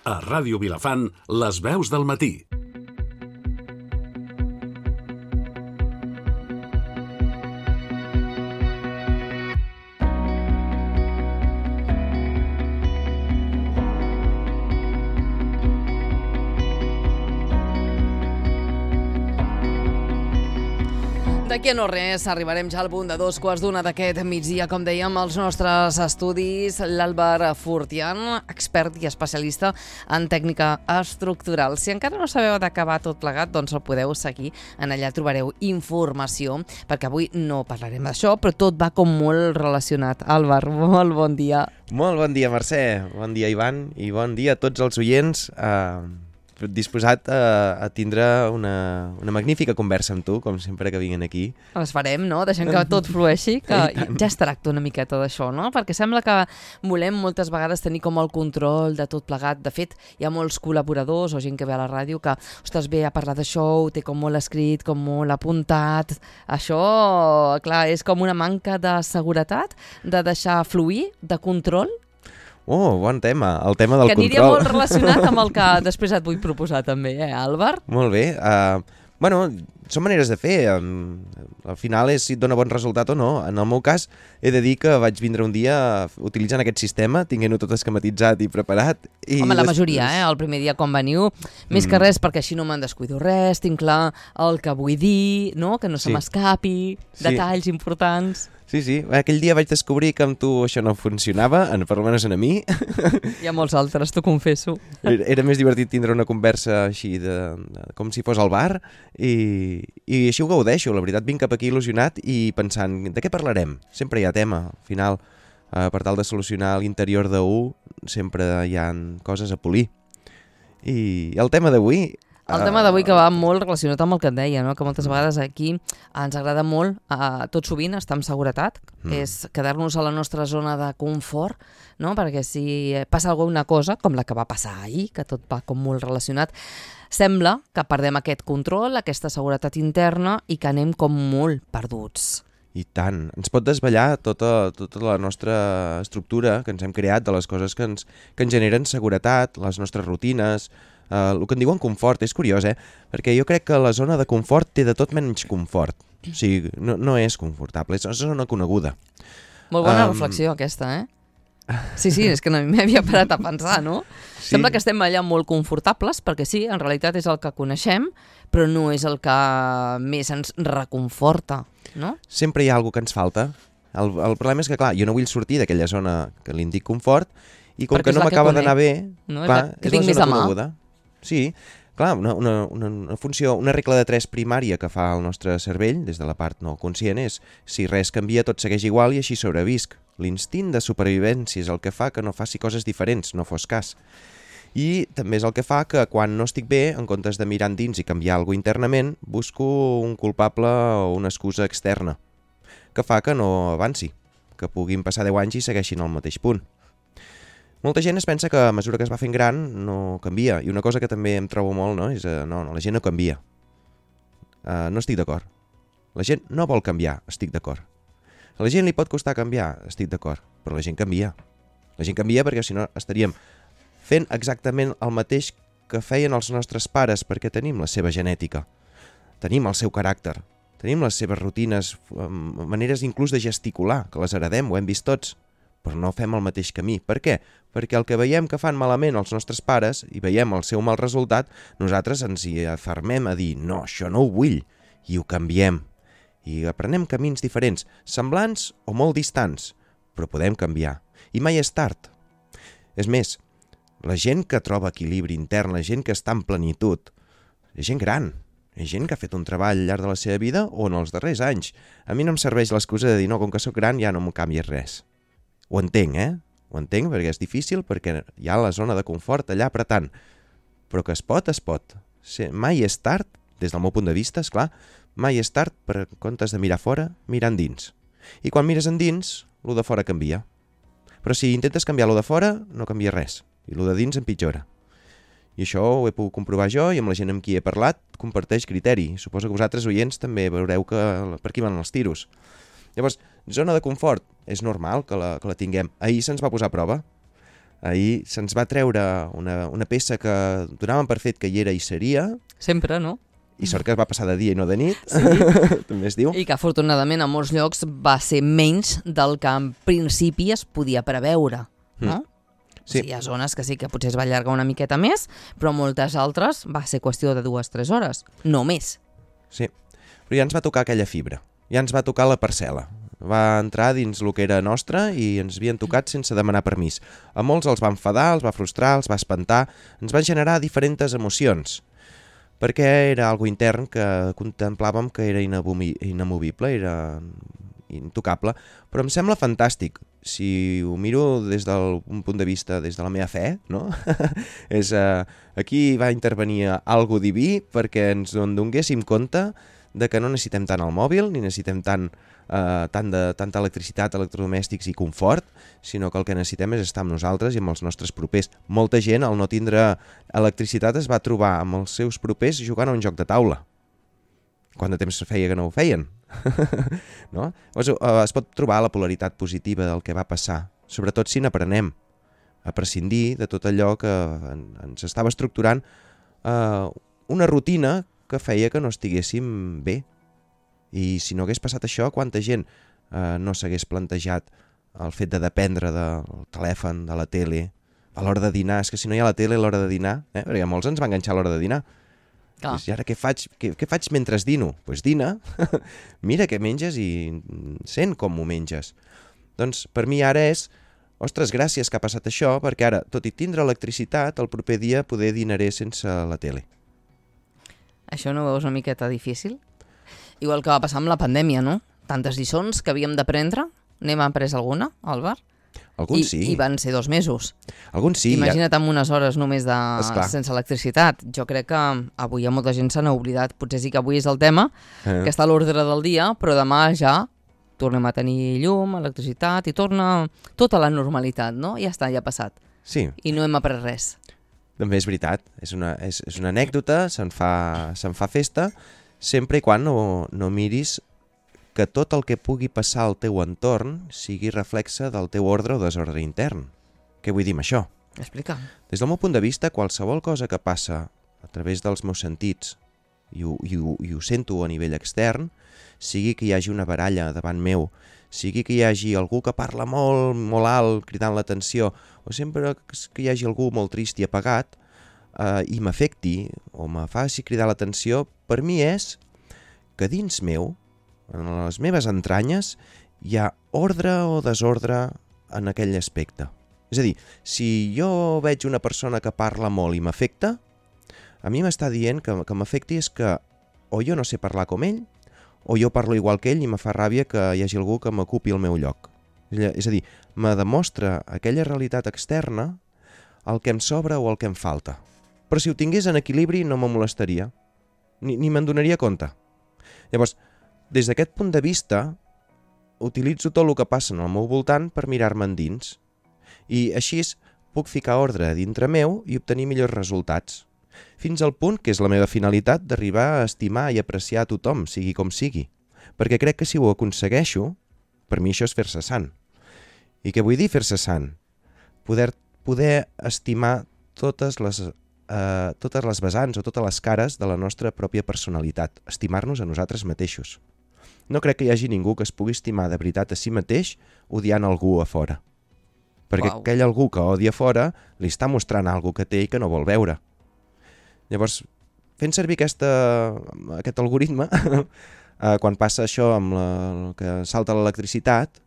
A Ràdio Vilafant, les veus del matí. D'aquí a no res, arribarem ja al punt de 2:15 d'aquest migdia, com dèiem, als nostres estudis, l'Àlvar Fortián, expert i especialista en tècnica estructural. Si encara no sabeu d'acabar tot plegat, doncs el podeu seguir, en allà trobareu informació, perquè avui no parlarem d'això, però tot va com molt relacionat. Àlvar, molt bon dia. Molt bon dia, Mercè, bon dia, Ivan, i bon dia a tots els oients. Disposat a tindre una magnífica conversa amb tu, com sempre que vinguen aquí. Les farem, no? Deixem que tot flueixi, que ja es tracta una miqueta d'això, no? Perquè sembla que volem moltes vegades tenir com el control de tot plegat. De fet, hi ha molts col·laboradors o gent que ve a la ràdio que, ostres, ve a parlar d'això, ho té com molt escrit, com molt apuntat. Això, clar, és com una manca de seguretat, de deixar fluir, de control. Oh, bon tema, el tema del control. Que aniria molt relacionat amb el que després et vull proposar també, Àlvar? Molt bé. Bueno, són maneres de fer. Al final és si et dona bon resultat o no. En el meu cas, he de dir que vaig vindre un dia utilitzant aquest sistema, tinguent-ho tot esquematitzat i preparat. Home, la majoria, el primer dia quan veniu, més que res perquè així no me'n descuido res, tinc clar el que vull dir, no? Que no se m'escapi, detalls importants. Sí. Aquell dia vaig descobrir que amb tu això no funcionava, per almenys a mi. Hi ha molts altres, t'ho confesso. Era més divertit tindre una conversa així, com si fos al bar, i així ho gaudeixo. La veritat, vinc cap aquí il·lusionat i pensant, de què parlarem? Sempre hi ha tema, al final. Per tal de solucionar l'interior d'un, sempre hi ha coses a polir. I el tema d'avui... El tema d'avui que va molt relacionat amb el que et deia, no? Que moltes vegades aquí ens agrada molt, tot sovint, estar amb seguretat, és quedar-nos a la nostra zona de confort, no? Perquè si passa alguna cosa, com la que va passar ahir, que tot va com molt relacionat, sembla que perdem aquest control, aquesta seguretat interna i que anem com molt perduts. I tant. Ens pot desvetllar tota la nostra estructura que ens hem creat de les coses que ens generen seguretat, les nostres rutines, el que en diuen confort. És curiós, perquè jo crec que la zona de confort té de tot menys confort. O sigui, no és confortable, és una zona coneguda. Molt bona reflexió aquesta, Sí, és que no m'hi havia parat a pensar, no? Sí. Sembla que estem allà molt confortables, perquè sí, en realitat és el que coneixem, però no és el que més ens reconforta, no? Sempre hi ha alguna que ens falta. El problema és que, clar, jo no vull sortir d'aquella zona que li dic confort, i com que no m'acaba d'anar bé, clar, és la zona coneguda. Sí, clar, una funció, una regla de 3 primària que fa el nostre cervell, des de la part no conscient, és si res canvia tot segueix igual i així sobrevisc. L'instint de supervivència és el que fa que no faci coses diferents, no fos cas. I també és el que fa que quan no estic bé, en comptes de mirar endins i canviar alguna cosa internament, busco un culpable o una excusa externa, que fa que no avanci, que puguin passar 10 anys i segueixin al mateix punt. Molta gent es pensa que a mesura que es va fent gran no canvia, i una cosa que també em trobo molt, no, és no, la gent no canvia. No estic d'acord. La gent no vol canviar, estic d'acord. A la gent li pot costar canviar, estic d'acord, però la gent canvia. La gent canvia perquè si no estaríem fent exactament el mateix que feien els nostres pares, perquè tenim la seva genètica, tenim el seu caràcter, tenim les seves rutines, maneres inclús de gesticular, que les heredem, ho hem vist tots, però no fem el mateix camí. Per què? Perquè el que veiem que fan malament els nostres pares i veiem el seu mal resultat, nosaltres ens hi afermem a dir no, això no ho vull, i ho canviem. I aprenem camins diferents, semblants o molt distants, però podem canviar. I mai és tard. És més, la gent que troba equilibri intern, la gent que està en plenitud, és gent gran, és gent que ha fet un treball al llarg de la seva vida o en els darrers anys. A mi no em serveix l'excusa de dir no, com que sóc gran ja no m'ho canvies res. Ho entenc, Ho entenc perquè és difícil, perquè hi ha la zona de confort allà apretant. Però que es pot, es pot. Mai és tard, des del meu punt de vista, esclar, mai és tard per en comptes de mirar fora, mirar endins. I quan mires endins, lo de fora canvia. Però si intentes canviar lo de fora, no canvia res. I lo de dins empitjora. I això ho he pogut comprovar jo i amb la gent amb qui he parlat comparteix criteri. Suposo que vosaltres, oients, també veureu que per aquí van els tiros. Llavors, zona de confort, és normal que la tinguem. Ahir se'ns va posar a prova. Ahir se'ns va treure una peça que donàvem per fet que hi era i seria. Sempre, no? I sort que es va passar de dia i no de nit, sí. També es diu. I que afortunadament a molts llocs va ser menys del que en principi es podia preveure, no? Sí. Hi ha zones que sí que potser es va allargar una miqueta més, però moltes altres va ser qüestió de 2-3 hores, no més. Sí, però ja ens va tocar aquella fibra, ja ens va tocar la parcel·la. Va entrar dins el que era nostre i ens havien tocat sense demanar permís. A molts els va enfadar, els va frustrar, els va espantar, ens va generar diferents emocions, perquè era algo intern que contemplàvem que era inamovible, era intocable, però em sembla fantàstic. Si ho miro des d'un punt de vista, des de la meva fe, no? És, aquí va intervenir algo diví perquè ens en donéssim compte de que no necessitem tant el mòbil, ni necessitem tanta electricitat, electrodomèstics i confort, sinó que el que necessitem és estar amb nosaltres i amb els nostres propers. Molta gent, al no tindre electricitat, es va trobar amb els seus propers jugant a un joc de taula. Quant de temps feia que no ho feien? No? Es pot trobar la polaritat positiva del que va passar, sobretot si n'aprenem a prescindir de tot allò que ens estava estructurant una rutina que feia que no estiguéssim bé. I si no hagués passat això, quanta gent no s'hagués plantejat el fet de dependre del telèfon, de la tele, a l'hora de dinar. És que si no hi ha la tele a l'hora de dinar, perquè molts ens va enganxar a l'hora de dinar. I ara què faig mentre dino? Doncs dina, mira què menges i sent com ho menges. Doncs per mi ara és, ostres, gràcies que ha passat això, perquè ara, tot i tindre electricitat, el proper dia poder dinaré sense la tele. Això no ho veus una miqueta difícil? Igual que va passar amb la pandèmia, no? Tantes lliçons que havíem d'aprendre. N'hem après alguna, Àlvar? Alguns sí. I van ser 2 mesos. Alguns sí. Imagina't amb unes hores només sense electricitat. Jo crec que avui hi ha molta gent se n'ha oblidat. Potser sí que avui és el tema, que està a l'ordre del dia, però demà ja tornem a tenir llum, electricitat i torna tota la normalitat, no? Ja està, ja ha passat. Sí. I no hem après res. També és veritat. És una anècdota, se'n fa festa, sempre i quan no miris que tot el que pugui passar al teu entorn sigui reflexe del teu ordre o desordre intern. Què vull dir amb això? Explica. Des del meu punt de vista, qualsevol cosa que passa a través dels meus sentits i ho sento a nivell extern, sigui que hi hagi una baralla davant meu, sigui que hi hagi algú que parla molt, molt alt, cridant l'atenció, o sempre que hi hagi algú molt trist i apagat, i m'afecti o me faci cridar l'atenció, per mi és que dins meu, en les meves entranyes, hi ha ordre o desordre en aquell aspecte. És a dir, si jo veig una persona que parla molt i m'afecta, a mi m'està dient que m'afecti és que o jo no sé parlar com ell, o jo parlo igual que ell i me fa ràbia que hi hagi algú que m'ocupi el meu lloc. És a dir, me demostra aquella realitat externa el que em sobra o el que em falta. Però si ho tingués en equilibri no me molestaria, ni me'n donaria compte. Llavors, des d'aquest punt de vista, utilitzo tot el que passa al meu voltant per mirar-me endins. I així puc ficar ordre dintre meu i obtenir millors resultats. Fins al punt, que és la meva finalitat, d'arribar a estimar i apreciar a tothom, sigui com sigui. Perquè crec que si ho aconsegueixo, per mi això és fer-se sant. I què vull dir fer-se sant? Poder estimar totes les vessants o totes les cares de la nostra pròpia personalitat, estimar-nos a nosaltres mateixos. No crec que hi hagi ningú que es pugui estimar de veritat a si mateix odiant algú a fora. Perquè aquell algú que odia a fora li està mostrant alguna que té i que no vol veure. Llavors, fent servir aquest algoritme, quan passa això amb que salta l'electricitat,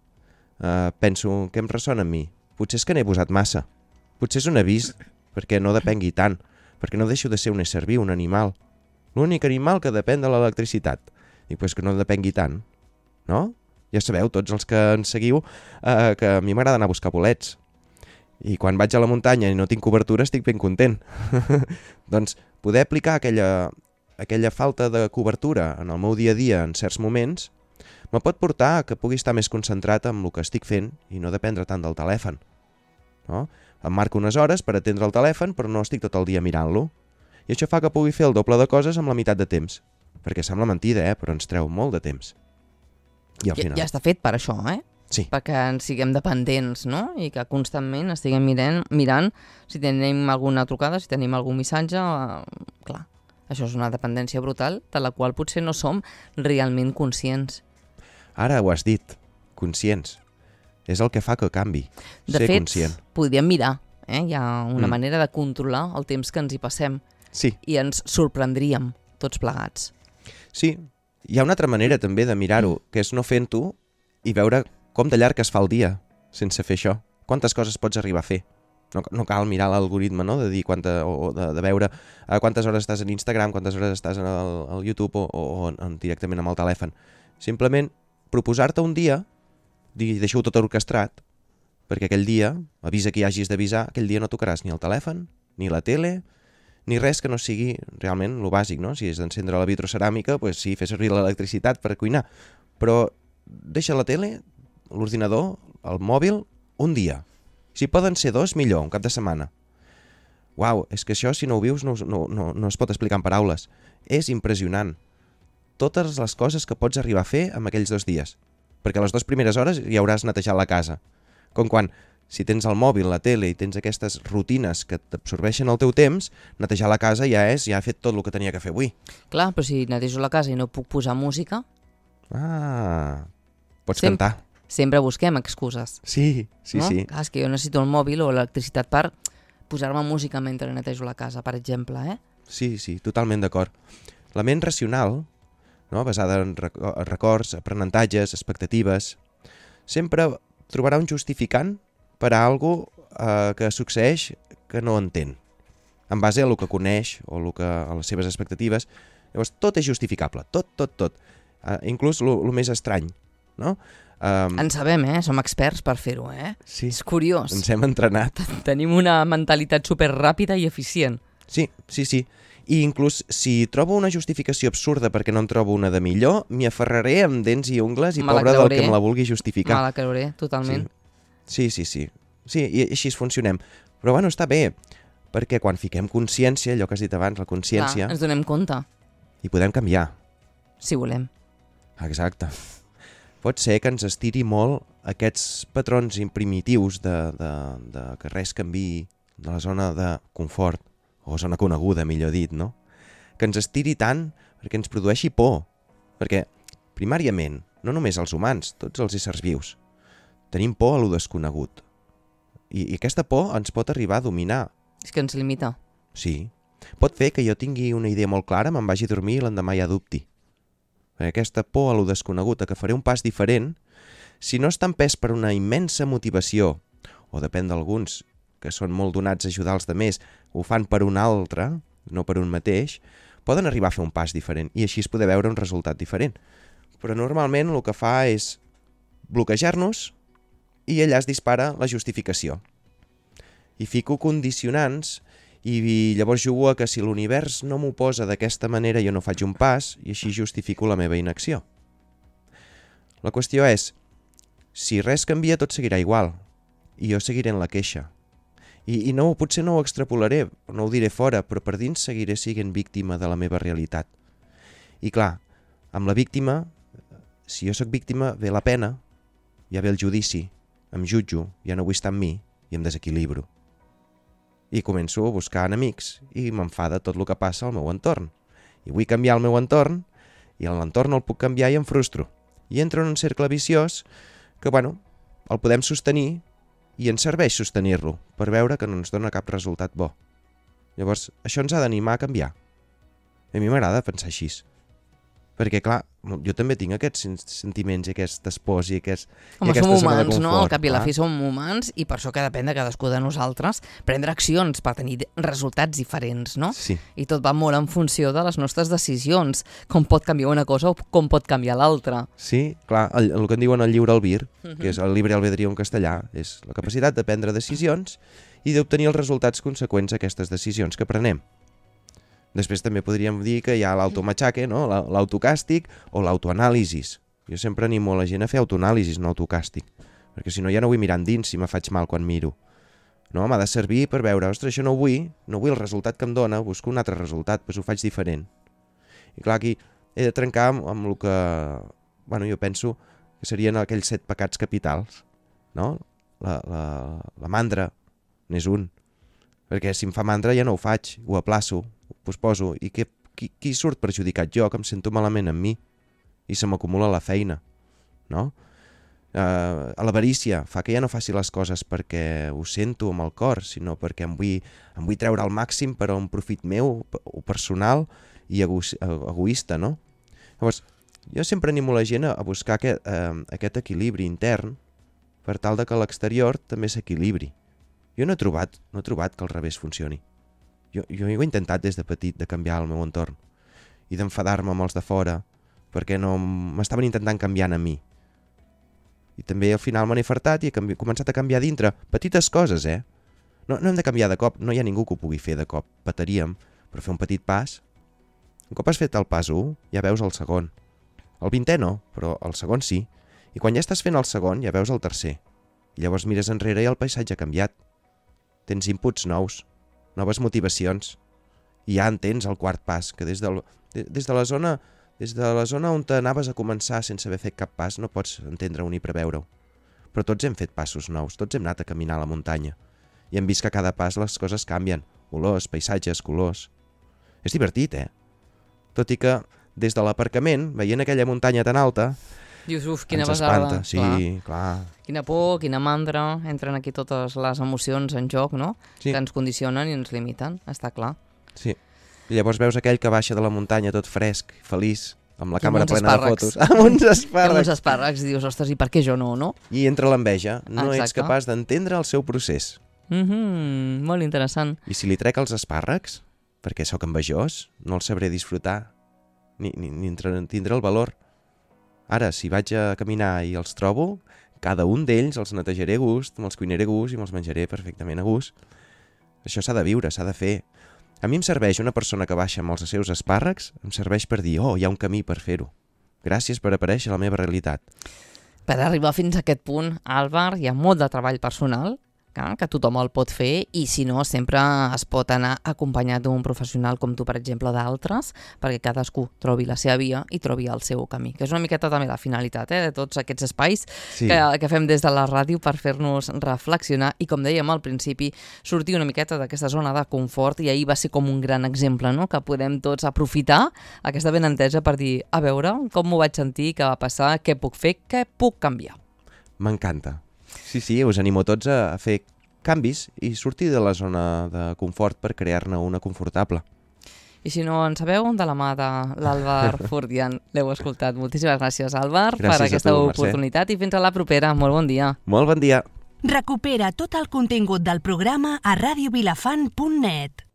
penso, què em ressona a mi? Potser és que n'he posat massa. Potser és un avís perquè no depengui tant, perquè no deixo de ser un ésser viu, un animal. L'únic animal que depèn de l'electricitat. I pues que no depengui tant, no? Ja sabeu, tots els que ens seguiu, que a mi m'agrada anar a buscar bolets. I quan vaig a la muntanya i no tinc cobertura estic ben content. Doncs poder aplicar aquella falta de cobertura en el meu dia a dia en certs moments me pot portar a que pugui estar més concentrat en el que estic fent i no dependre tant del telèfon. No? Em marco unes hores per atendre el telèfon però no estic tot el dia mirant-lo. I això fa que pugui fer el doble de coses amb la meitat de temps. Perquè sembla mentida, però ens treu molt de temps. I al final... Ja està fet per això, eh? Sí. Perquè ens siguem dependents, no? I que constantment estiguem mirant si tenim alguna trucada, si tenim algun missatge, clar, això és una dependència brutal de la qual potser no som realment conscients. Ara ho has dit, conscients. És el que fa que canvi, ser conscient. De fet, podríem mirar, hi ha una manera de controlar el temps que ens hi passem. Sí. I ens sorprendríem tots plegats. Sí, hi ha una altra manera també de mirar-ho, que és no fent-ho i veure com de llarg es fa el dia sense fer això. Quantes coses pots arribar a fer? No cal mirar l'algoritme, no? De dir de veure quantes hores estàs en Instagram, quantes hores estàs al YouTube o directament amb el telèfon. Simplement proposar-te un dia, deixar-ho tot orquestrat, perquè aquell dia, avisa que hi hagis d'avisar, aquell dia no tocaràs ni el telèfon, ni la tele, ni res que no sigui realment lo bàsic, no? Si és d'encendre la vitroceràmica, doncs sí, fer servir l'electricitat per cuinar, però deixa la tele, l'ordinador, el mòbil, un dia. Si poden ser 2, millor, un cap de setmana. Uau, és que això, si no ho vius, no es pot explicar en paraules. És impressionant. Totes les coses que pots arribar a fer en aquells 2 dies. Perquè a les 2 primeres hores ja hauràs netejat la casa. Com quan, si tens el mòbil, la tele i tens aquestes rutines que t'absorbeixen el teu temps, netejar la casa ja he fet tot el que tenia que fer avui. Clar, però si netejo la casa i no puc posar música... Pots cantar. Sempre busquem excuses. Sí. Clar, és que jo necessito el mòbil o l'electricitat per posar-me música mentre netejo la casa, per exemple, Sí, totalment d'acord. La ment racional, no, basada en records, aprenentatges, expectatives, sempre trobarà un justificant per a alguna cosa que succeeix que no entén, en base a el que coneix o a les seves expectatives. Llavors, tot és justificable, tot. Inclús el més estrany, no? En sabem, som experts per fer-ho, Sí. És curiós. Ens hem entrenat. Tenim una mentalitat superràpida i eficient. Sí. I inclús si trobo una justificació absurda perquè no en trobo una de millor, m'hi aferraré amb dents i ungles i pobre del que me la vulgui justificar. Me la creuré, totalment. Sí. Sí, i així funcionem. Però bueno, està bé, perquè quan fiquem consciència, allò que has dit abans, la consciència... Clar, ens donem compte. I podem canviar. Si volem. Exacte. Pot ser que ens estiri molt aquests patrons primitius de que res canviï de la zona de confort, o zona coneguda, millor dit, no? Que ens estiri tant perquè ens produeixi por. Perquè, primàriament, no només els humans, tots els éssers vius, tenim por a lo desconegut. I aquesta por ens pot arribar a dominar. És que ens limita. Sí. Pot fer que jo tingui una idea molt clara, me'n vagi a dormir i l'endemà ja dubti. Aquesta por a lo desconegut, a que faré un pas diferent, si no està empès per una immensa motivació, o depèn d'alguns que són molt donats a ajudar els demés, ho fan per un altre, no per un mateix, poden arribar a fer un pas diferent i així es poder veure un resultat diferent. Però normalment el que fa és bloquejar-nos i allà es dispara la justificació. I fico condicionants i llavors jugo a que si l'univers no m'ho posa d'aquesta manera jo no faig un pas i així justifico la meva inacció. La qüestió és, si res canvia tot seguirà igual i jo seguiré en la queixa. I no, potser no ho extrapolaré, no ho diré fora, però per dins seguiré sent víctima de la meva realitat. I clar, amb la víctima, si jo sóc víctima, ve la pena, ja ve el judici, em jutjo, ja no vull estar amb mi i em desequilibro. I començo a buscar enemics i m'enfada tot el que passa al meu entorn. I vull canviar el meu entorn i l'entorn el puc canviar i em frustro. I entro en un cercle viciós que, el podem sostenir i ens serveix sostenir-lo per veure que no ens dona cap resultat bo. Llavors, això ens ha d'animar a canviar. A mi m'agrada pensar així. Perquè, clar, jo també tinc aquests sentiments i aquestes pors i aquesta zona de confort. Som humans, no? Al cap i a la fi som humans i per això que depèn de cadascú de nosaltres prendre accions per tenir resultats diferents, no? Sí. I tot va molt en funció de les nostres decisions, com pot canviar una cosa o com pot canviar l'altra. Sí, clar, el que en diuen el lliure albir, que és el libre albedrío en castellà, és la capacitat de prendre decisions i d'obtenir els resultats conseqüents a aquestes decisions que prenem. Després també podríem dir que hi ha l'automatxaque, no? L'autocàstig o l'autoanàlisis. Jo sempre animo la gent a fer autoanàlisis, no autocàstig, perquè si no ja no vull mirar endins si me faig mal quan miro. No, m'ha de servir per veure, ostres, això no vull el resultat que em dona, busco un altre resultat, doncs ho faig diferent. I clar, aquí he de trencar amb el que... jo penso que serien aquells 7 pecats capitals, no? La mandra n'és un, perquè si em fa mandra ja no ho faig, ho aplaço, ho posposo, i qui surt perjudicat? Jo, que em sento malament amb mi, i se m'acumula la feina, no? L'avarícia fa que ja no faci les coses perquè ho sento amb el cor, sinó perquè em vull treure al màxim per a un profit meu, o personal i egoista, no? Llavors, jo sempre animo la gent a buscar aquest equilibri intern per tal de que l'exterior també s'equilibri. Jo no he trobat que al revés funcioni. Jo ho he intentat des de petit de canviar el meu entorn i d'enfadar-me amb els de fora perquè no m'estaven intentant canviar a mi. I també al final me n'he fartat i he començat a canviar dintre. Petites coses, No hem de canviar de cop, no hi ha ningú que ho pugui fer de cop. Petaríem, però fer un petit pas. Un cop has fet el pas 1, ja veus el segon. El 20è no, però el segon sí. I quan ja estàs fent el segon, ja veus el tercer. I llavors mires enrere i el paisatge ha canviat. Tens inputs nous, noves motivacions. I ja entens el quart pas, que des de la zona on t'anaves a començar sense haver fet cap pas no pots entendre-ho ni preveure-ho. Però tots hem fet passos nous, tots hem anat a caminar a la muntanya. I hem vist que a cada pas les coses canvien. Olors, paisatges, colors. És divertit, Tot i que des de l'aparcament, veient aquella muntanya tan alta, dius, quina besada. Sí, clar. Quina por, quina mandra, entren aquí totes les emocions en joc, no? Sí. Que ens condicionen i ens limiten, està clar. Sí. I llavors veus aquell que baixa de la muntanya tot fresc, feliç, amb la càmera plena de fotos. Amb uns espàrrecs. Amb uns espàrrecs, dius, ostres, i per què jo no? I entra l'enveja, no ets capaç d'entendre el seu procés. Molt interessant. I si li trec els espàrrecs, perquè sóc envejós, no els sabré disfrutar, ni tindré el valor. Ara, si vaig a caminar i els trobo, cada un d'ells els netejaré a gust, me'ls cuinaré a gust i me'ls menjaré perfectament a gust. Això s'ha de viure, s'ha de fer. A mi em serveix una persona que baixa amb els seus espàrrecs, em serveix per dir, hi ha un camí per fer-ho. Gràcies per aparèixer a la meva realitat. Per arribar fins a aquest punt, Àlvar, hi ha molt de treball personal, que tothom el pot fer, i si no, sempre es pot anar acompanyat d'un professional com tu, per exemple, d'altres, perquè cadascú trobi la seva via i trobi el seu camí, que és una miqueta també la finalitat de tots aquests espais que fem des de la ràdio per fer-nos reflexionar i, com dèiem al principi, sortir una miqueta d'aquesta zona de confort, i ahir va ser com un gran exemple, no? Que podem tots aprofitar aquesta benentesa per dir, a veure, com m'ho vaig sentir, què va passar, què puc fer, què puc canviar. M'encanta. Sí, us animo tots a fer canvis i sortir de la zona de confort per crear-ne una confortable. I si no en sabeu, de la mà de l'Àlvar Fortián, l'heu escoltat. Moltíssimes gràcies, Àlvar, per aquesta oportunitat, i fins a la propera. Molt bon dia. Molt bon dia. Recupera tot el contingut del programa a radiovilafant.net.